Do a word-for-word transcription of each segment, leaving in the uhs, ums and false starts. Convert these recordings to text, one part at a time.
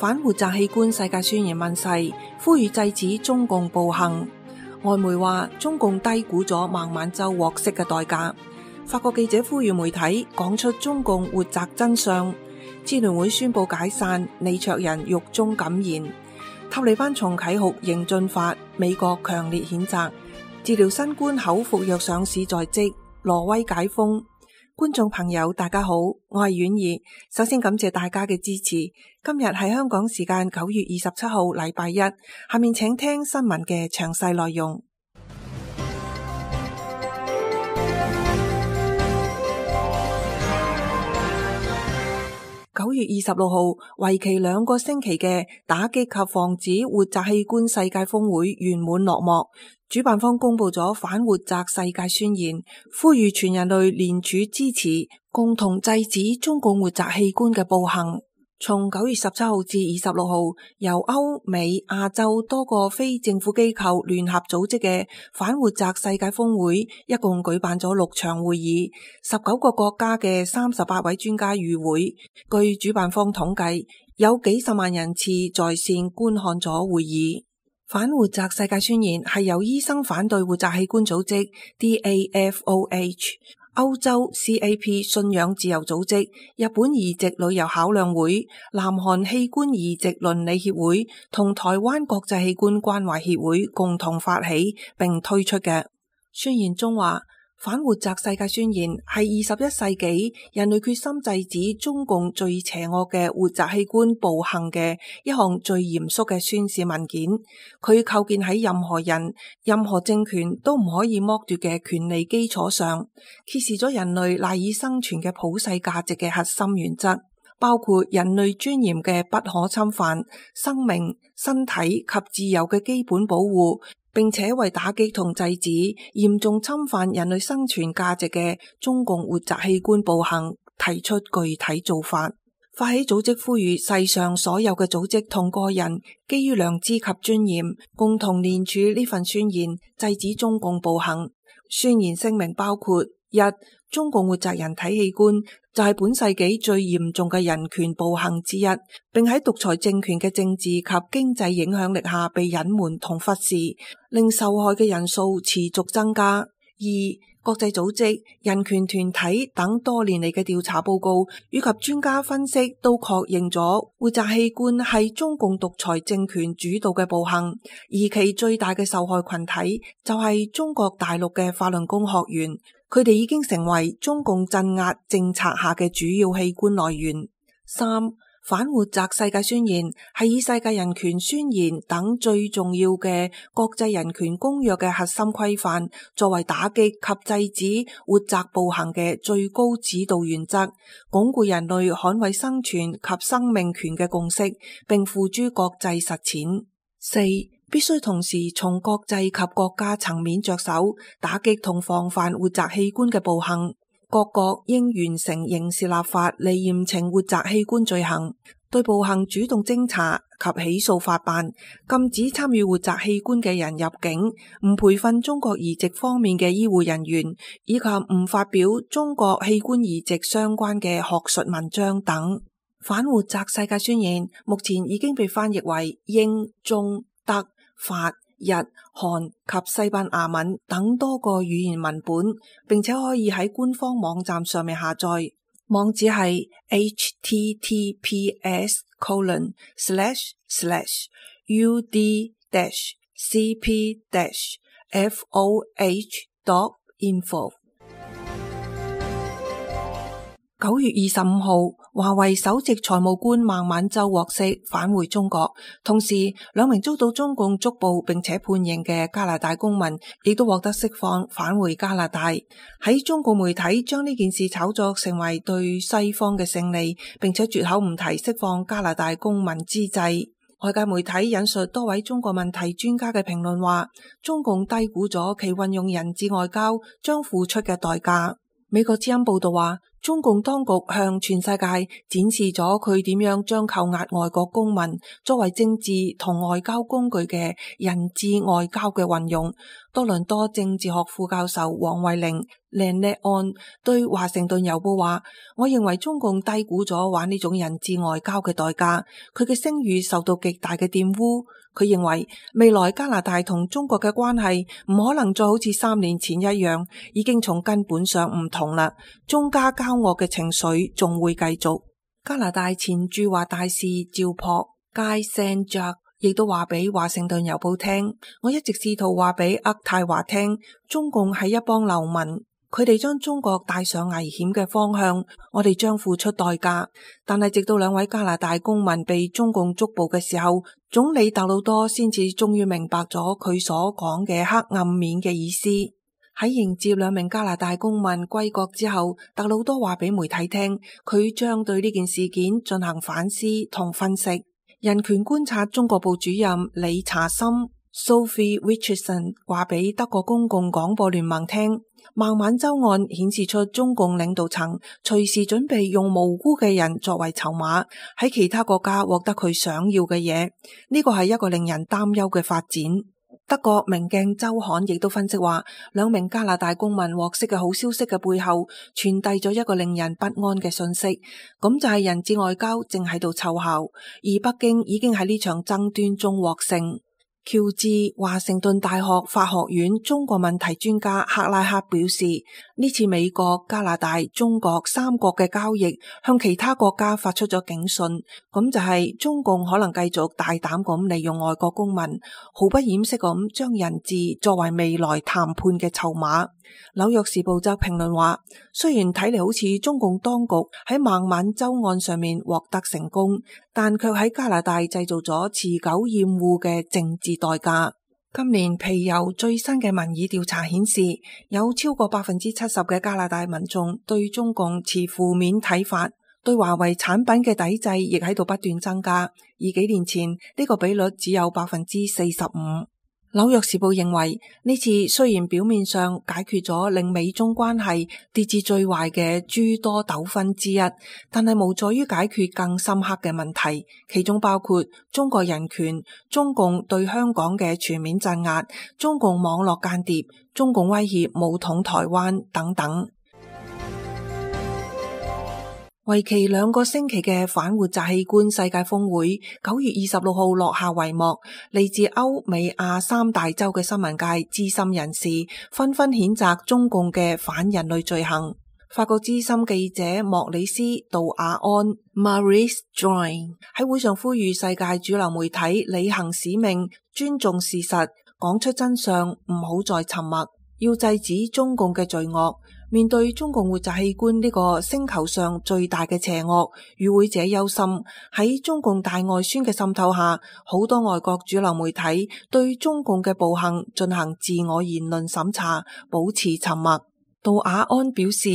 反活摘器官世界宣言問世，呼籲制止中共暴行。外媒話中共低估咗孟晚舟獲釋嘅代價。法國記者呼籲媒體講出中共活摘真相。支聯會宣布解散，李卓人獄中感言。塔利班重啟酷刑進法，美國強烈譴責。治療新冠口服藥上市在即，挪威解封。觀眾朋友大家好，我係婉兒。首先感謝大家嘅支持。今日係香港時間九月二十七號禮拜一，下面請聽新聞嘅詳細內容。九月二十六號，為期兩個星期嘅打擊及防止活摘器官世界峰會圓滿落幕。主辦方公布咗反活摘世界宣言，呼籲全人類聯署支持，共同制止中共活摘器官嘅暴行。從九月十七號至二十六號，由歐美、亞洲多個非政府機構聯合組織嘅反活摘世界峰會，一共舉辦咗六場會議，十九個國家嘅三十八位專家與會。據主辦方統計，有幾十萬人次在線觀看咗會議。反活摘世界宣言係由醫生反對活摘器官組織 D A F O H、歐洲 C A P 信仰自由組織、日本移植旅遊考量會、南韓器官移植倫理協會同台灣國際器官關懷協會共同發起並推出嘅。宣言中話，反活摘世界宣言係二十一世紀人類決心制止中共最邪惡嘅活摘器官暴行嘅一項最嚴肅嘅宣示文件。佢構建喺任何人、任何政權都唔可以剝奪嘅權利基礎上，揭示咗人類賴以生存嘅普世價值嘅核心原則，包括人類尊嚴嘅不可侵犯、生命、身體及自由嘅基本保護，並且為打擊同制止嚴重侵犯人類生存價值嘅中共活摘器官暴行提出具體做法。發起組織呼籲世上所有嘅組織同個人基於良知及尊嚴，共同聯署呢份宣言，制止中共暴行。宣言聲明包括：一、中共活摘人體器官就係本世紀最嚴重嘅人權暴行之一，並喺獨裁政權嘅政治及經濟影響力下被隱瞞同忽視，令受害嘅人數持續增加。二、國際組織、人權團體等多年嚟嘅調查報告以及專家分析都確認咗活摘器官係中共獨裁政權主導嘅暴行，而其最大嘅受害群體就係中國大陸嘅法輪功學員，佢哋已經成為中共鎮壓政策下嘅主要器官來源。三、反活摘世界宣言係以世界人權宣言等最重要嘅國際人權公約嘅核心規範，作為打擊及制止活摘暴行嘅最高指導原則，鞏固人類捍衛生存及生命權嘅共識，並付諸國際實踐。四、必須同時從國際及國家層面着手，打擊同防範活摘器官嘅暴行。各國應完成刑事立法嚟嚴懲活摘器官罪行，對暴行主動偵查及起訴法辦，禁止參與活摘器官嘅人入境，唔培訓中國移植方面嘅醫護人員，以及唔發表中國器官移植相關嘅學術文章等。反活摘世界宣言目前已經被翻譯為英、中、德、法、日、韓及西班牙文等多個語言文本，並且可以喺官方網站上面下載。網址係 h t t p s colon slash slash u d dash c p dash f o h dot info。九月二十五號，華為首席財務官孟晚舟獲釋返回中國，同時兩名遭到中共捉捕並且判刑嘅加拿大公民亦都獲得釋放返回加拿大。喺中共媒體將呢件事炒作成為對西方嘅勝利，並且絕口唔提釋放加拿大公民之際，外界媒體引述多位中國問題專家嘅評論話，中共低估咗其運用人質外交將付出嘅代價。美國之音報道話，中共當局向全世界展示咗佢點樣將扣押外國公民作為政治同外交工具嘅人質外交嘅運用。多倫多政治學副教授黃惠玲 Lynette On 對華盛頓郵報話：我認為中共低估咗玩呢種人質外交嘅代價，佢嘅聲譽受到極大嘅玷污。佢認為未來加拿大同中國嘅關係唔可能再好似三年前一樣，已經從根本上唔同啦。中加交惡嘅情緒仲會繼續。加拿大前駐華大使趙樸 Guy Saint-Jacques亦都話俾華盛頓郵報聽：我一直試圖話俾渥太華聽，中共係一幫流民，佢哋將中國帶上危險嘅方向，我哋將付出代價。但係直到兩位加拿大公民被中共捉捕嘅時候，總理特魯多先至終於明白咗佢所講嘅黑暗面嘅意思。喺迎接兩名加拿大公民歸國之後，特魯多話俾媒體聽，佢將對呢件事件進行反思同分析。人權觀察中國部主任李查森 Sophie Richardson 話俾德國公共廣播聯盟聽，孟晚舟案顯示出中共領導層隨時準備用無辜嘅人作為籌碼，喺其他國家獲得佢想要嘅嘢。呢個係一個令人擔憂嘅發展。德國明鏡周刊亦都分析話，兩名加拿大公民獲釋嘅好消息嘅背後，傳遞咗一個令人不安嘅信息，咁就係人質外交正喺度奏效，而北京已經喺呢場爭端中獲勝。喬治華盛頓大學法學院中國問題專家克拉克表示，呢次美國、加拿大、中國三國嘅交易向其他國家發出咗警訊，咁就係中共可能繼續大膽咁利用外國公民，毫不掩飾咁將人質作為未來談判嘅籌碼。紐約時報則評論話，雖然睇嚟好似中共當局喺孟晚舟案上面獲得成功，但卻喺加拿大製造咗持久厭惡嘅政治代價。今年皮尤最新嘅民意調查顯示，有超過百分之七十嘅加拿大民眾對中共持負面睇法，對華為產品嘅抵制亦喺度不斷增加，而幾年前呢個比率只有百分之四十五。紐約時報認為，呢次雖然表面上解決咗令美中關係跌至最壞嘅諸多糾紛之一，但係無助於解決更深刻嘅問題，其中包括中國人權、中共對香港嘅全面鎮壓、中共網絡間諜、中共威脅武統台灣等等。為期兩個星期嘅反活摘器官世界峰會九月二十六號落下帷幕，嚟自歐美亞三大洲嘅新聞界資深人士紛紛譴責中共嘅反人類罪行。法國資深記者莫里斯·杜亞安 Maurice Join 喺會上呼籲世界主流媒體履行使命，尊重事實，講出真相，唔好再沉默，要制止中共嘅罪惡。面對中共活摘器官呢個星球上最大嘅邪惡，與會者憂心喺中共大外宣嘅滲透下，好多外國主流媒體對中共嘅暴行進行自我言論審查，保持沉默。杜亞安表示，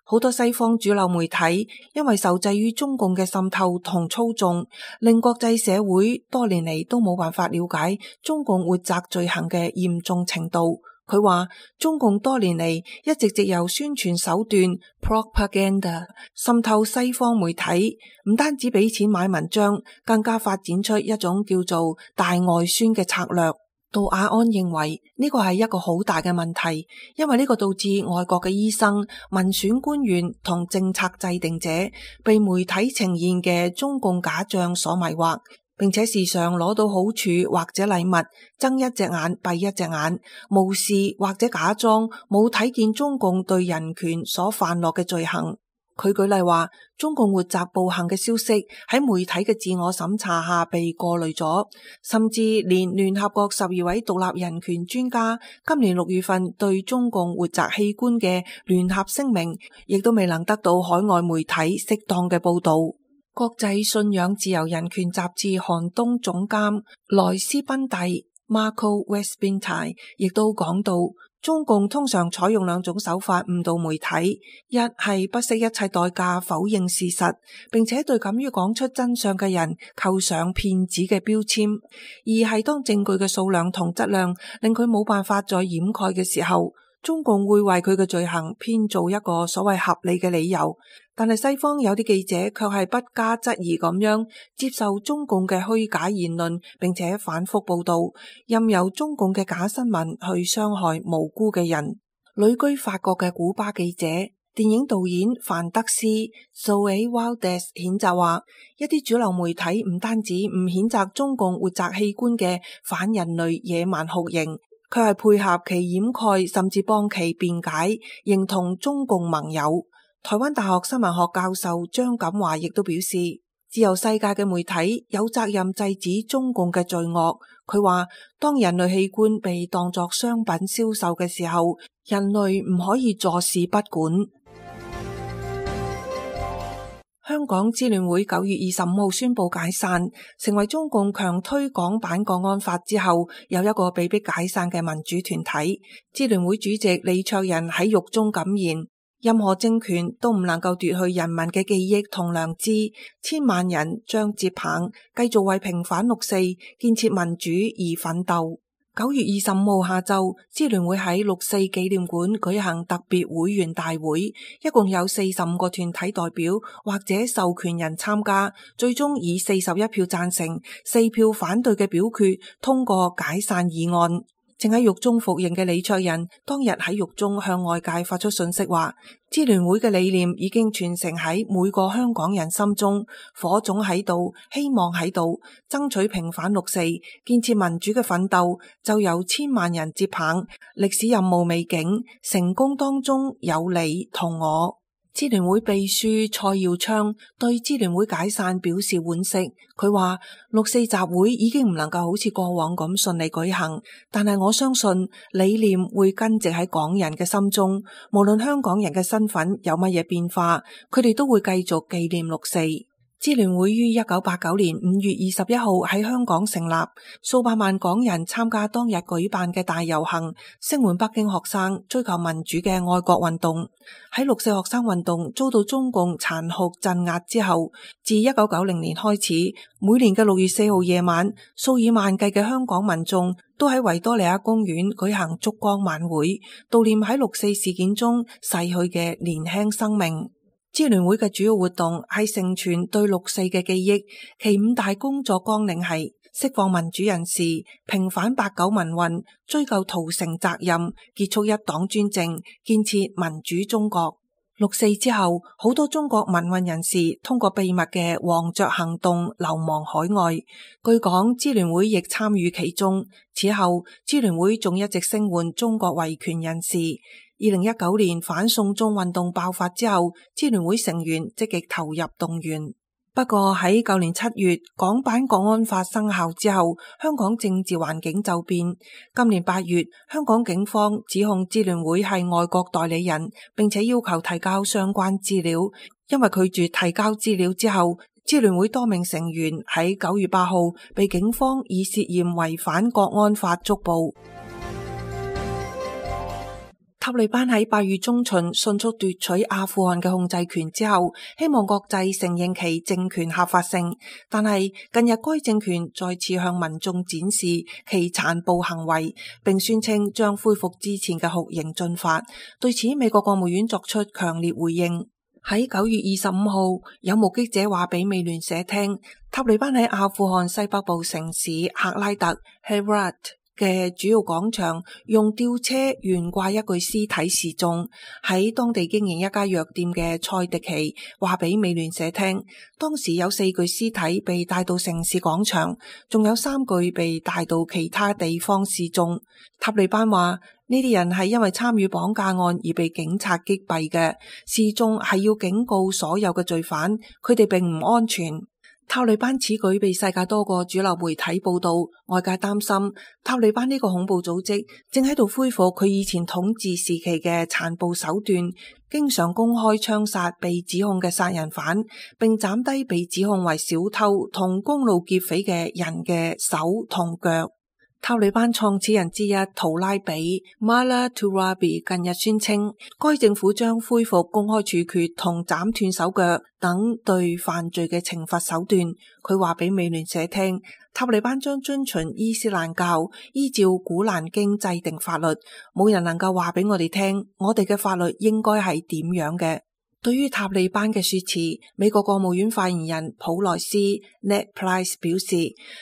好多西方主流媒體因為受制於中共嘅滲透同操縱，令國際社會多年嚟都冇辦法了解中共活摘罪行嘅嚴重程度。佢話中共多年嚟一直藉由宣傳手段 propaganda 滲透西方媒體，唔單止俾錢買文章，更加發展出一種叫做大外宣嘅策略。杜亞安認為呢個係一個好大嘅問題，因為呢個導致外國嘅醫生、民選官員同政策制定者被媒體呈現嘅中共假象所迷惑，並且時常攞到好處或者禮物，睜一隻眼閉一隻眼，無視或者假裝冇睇見中共對人權所犯落嘅罪行。佢舉例話，中共活摘暴行嘅消息喺媒體嘅自我審查下被過濾咗，甚至連聯合國十二位獨立人權專家今年六月份對中共活摘器官嘅聯合聲明，亦都未能得到海外媒體適當嘅報道。國際信仰自由人權雜誌寒冬總監萊斯賓蒂 Marco Westbinty 亦都講到，中共通常採用兩種手法誤導媒體，一係不惜一切代價否認事實，並且對敢於講出真相嘅人扣上騙子嘅標籤；二係當證據嘅數量同質量令佢冇辦法再掩蓋嘅時候，中共會為佢嘅罪行編造一個所謂合理嘅理由，但係西方有啲記者卻係不加質疑咁樣接受中共嘅虛假言論，並且反覆報道，任由中共嘅假新聞去傷害無辜嘅人。旅居法國嘅古巴記者、電影導演范德斯 Zoe Waldez 譴責話，一啲主流媒體唔單止唔譴責中共活摘器官嘅反人類野蠻酷刑，佢係配合其掩蓋，甚至幫其辯解，認同中共盟友。台灣大學新聞學教授張錦華亦都表示，自由世界嘅媒體有責任制止中共嘅罪惡。佢話，當人類器官被當作商品銷售嘅時候，人類唔可以坐視不管。香港支聯會九月二十五號宣布解散，成為中共強推港版國安法之後有一個被迫解散嘅民主團體。支聯會主席李卓人喺獄中感言，任何政權都唔能夠奪去人民嘅記憶同良知，千萬人將接棒，繼續為平反六四、建設民主而奮鬥。九月二十五號下晝，支聯會喺六四紀念館舉行特別會員大會，一共有四十五個團體代表或者授權人參加，最終以四十一票贊成、四票反對嘅表決通過解散議案。正喺獄中服刑嘅李卓人當日喺獄中向外界發出信息話，支聯會嘅理念已經傳承喺每個香港人心中，火種喺度，希望喺度，爭取平反六四、建設民主嘅奮鬥就由千萬人接棒，歷史任務未竟，成功當中有你同我。支聯會秘書蔡耀昌對支聯會解散表示惋惜，佢話六四集會已經唔能夠好似過往咁順利舉行，但係我相信理念會根植喺港人嘅心中，無論香港人嘅身份有乜嘢變化，佢哋都會繼續紀念六四。支聯會於一九八九年五月二十一號喺香港成立，數百萬港人參加當日舉辦嘅大遊行，聲援北京學生追求民主嘅愛國運動。喺六四學生運動遭到中共殘酷鎮壓之後，自一九九零年開始，每年嘅六月四號夜晚，數以萬計嘅香港民眾都喺維多利亞公園舉行燭光晚會，悼念喺六四事件中逝去嘅年輕生命。支聯會嘅主要活動係承傳對六四嘅記憶，其五大工作綱領係釋放民主人士、平反八九民運、追究屠城責任、結束一黨專政、建設民主中國。六四之後，好多中國民運人士通過秘密嘅黃雀行動流亡海外，據講支聯會亦參與其中。此後，支聯會仲一直聲援中國維權人士。二零一九年反送中運動爆發之後，支聯會成員積極投入動員。不過喺舊年七月港版國安法生效之後，香港政治環境驟變。今年八月，香港警方指控支聯會係外國代理人，並且要求提交相關資料。因為拒絕提交資料之後，支聯會多名成員喺九月八號被警方以涉嫌違反國安法捉捕。塔利班喺八月中旬迅速奪取阿富汗嘅控制權之後，希望國際承認其政權合法性。但係近日該政權再次向民眾展示其殘暴行為，並宣稱將恢復之前嘅酷刑進法。對此，美國國務院作出強烈回應。喺九月二十五號，有目擊者話俾美聯社聽，塔利班喺阿富汗西北部城市赫拉特 Herat嘅主要廣場用吊車懸掛一具屍體示眾。喺當地經營一家藥店嘅蔡迪奇話俾美聯社聽，當時有四具屍體被帶到城市廣場，仲有三具被帶到其他地方示眾。塔利班話呢啲人係因為參與綁架案而被警察擊斃嘅，示眾係要警告所有嘅罪犯，佢哋並唔安全。塔利班此舉被世界多個主流媒體報道，外界擔心塔利班呢個恐怖組織正喺度恢復佢以前統治時期嘅殘暴手段，經常公開槍殺被指控嘅殺人犯，並斬低被指控為小偷同公路劫匪嘅人嘅手同腳。塔利班創始人之一圖拉比 Mullah Turabi 近日宣稱，該政府將恢復公開處決同斬斷手腳等對犯罪嘅懲罰手段。佢話俾美聯社聽，塔利班將遵循伊斯蘭教，依照古蘭經制定法律，冇人能夠話俾我哋聽，我哋嘅法律應該係點樣嘅。對於塔利班嘅說辭，美國國務院發言人普萊斯 Ned Price 表示，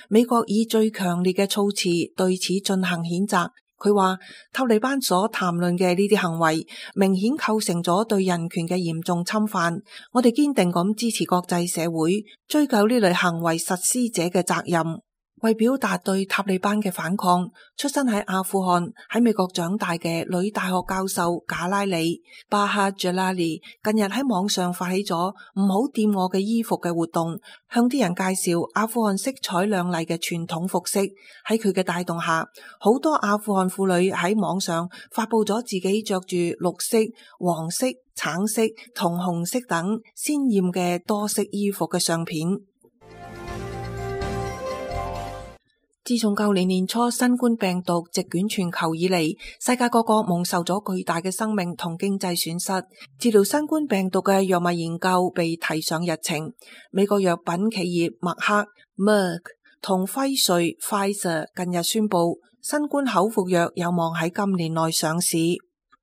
美國以最強烈嘅措辭對此進行譴責。佢話塔利班所談論嘅呢啲行為明顯構成咗對人權嘅嚴重侵犯，我哋堅定咁支持國際社會追究呢類行為實施者嘅責任。為表達對塔利班嘅反抗，出身喺阿富汗喺美國長大嘅女大學教授賈拉里巴哈賈拉里近日喺網上發起咗唔好掂我嘅衣服嘅活動，向啲人介紹阿富汗色彩亮麗嘅傳統服飾。喺佢嘅帶動下，好多阿富汗婦女喺網上發佈咗自己着住綠色、黃色、橙色同紅色等鮮豔嘅多色衣服嘅相片。自從舊年年初新冠病毒席捲全球以嚟，世界各國蒙受咗巨大嘅生命同經濟損失。治療新冠病毒嘅藥物研究被提上日程。美國藥品企業默克 Merck 同輝瑞 Pfizer 近日宣布，新冠口服藥有望喺今年內上市。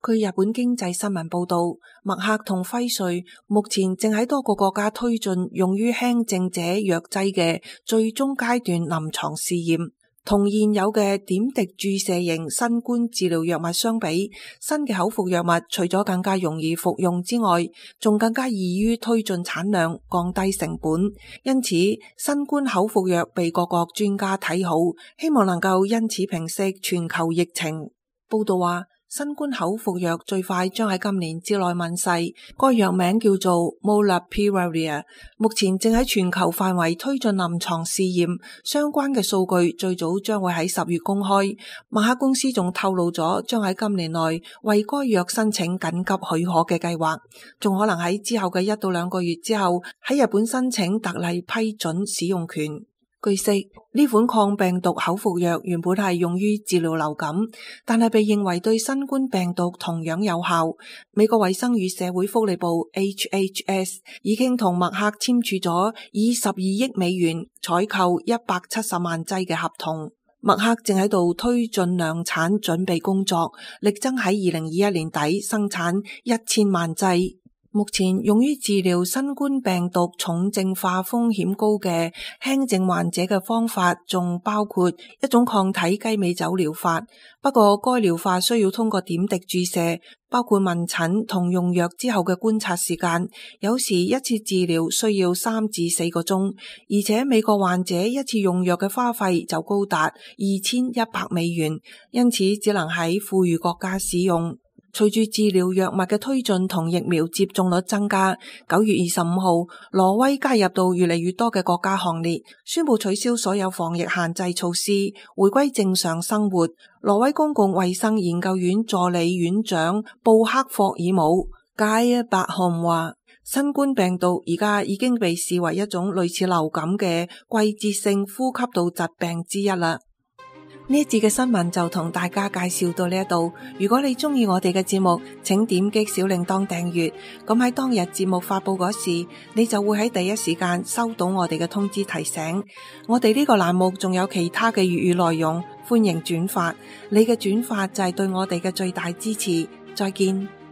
據日本經濟新聞報道，默克同輝瑞目前正喺多個國家推進用於輕症者藥劑嘅最終階段臨床試驗。同現有嘅點滴注射型新冠治療藥物相比，新嘅口服藥物除咗更加容易服用之外，仲更加易於推進產量，降低成本。因此，新冠口服藥被各國專家睇好，希望能夠因此平息全球疫情。報道話，新冠口服藥最快將喺今年之內問世，該藥名叫做 Molnupiravir， 目前正喺全球範圍推進臨床試驗，相關嘅數據最早將會喺十月公開。默克公司仲透露咗將喺今年內為該藥申請緊急許可嘅計劃，仲可能喺之後嘅一到兩個月之後喺日本申請特例批准使用權。據悉，呢款抗病毒口服藥原本係用於治療流感，但係被認為對新冠病毒同樣有效。美國衛生與社會福利部 H H S 已經同默克簽署咗以十二億美元採購一百七十萬劑嘅合同。默克正喺度推進量產準備工作，力爭喺二零二一年底生產一千萬劑。目前用於治療新冠病毒重症化風險高嘅輕症患者嘅方法，仲包括一種抗體雞尾酒療法。不過該療法需要通過點滴注射，包括問診同用藥之後嘅觀察時間，有時一次治療需要三至四個鐘，而且美國患者一次用藥嘅花費就高達二千一百美元，因此只能喺富裕國家使用。隨住治療藥物嘅推進同疫苗接種率增加，九月二十五號，挪威加入到越嚟越多嘅國家行列，宣布取消所有防疫限制措施，回歸正常生活。挪威公共衛生研究院助理院長布克霍爾姆蓋伯漢話，新冠病毒而家已經被視為一種類似流感嘅季節性呼吸道疾病之一啦。呢一節嘅新聞就同大家介紹到呢一度。如果你中意我哋嘅節目，請點擊小鈴鐺訂閱，咁喺當日節目發佈嗰時，你就會喺第一時間收到我哋嘅通知提醒。我哋呢個欄目仲有其他嘅粵語內容，歡迎轉發。你嘅轉發就係對我哋嘅最大支持。再見。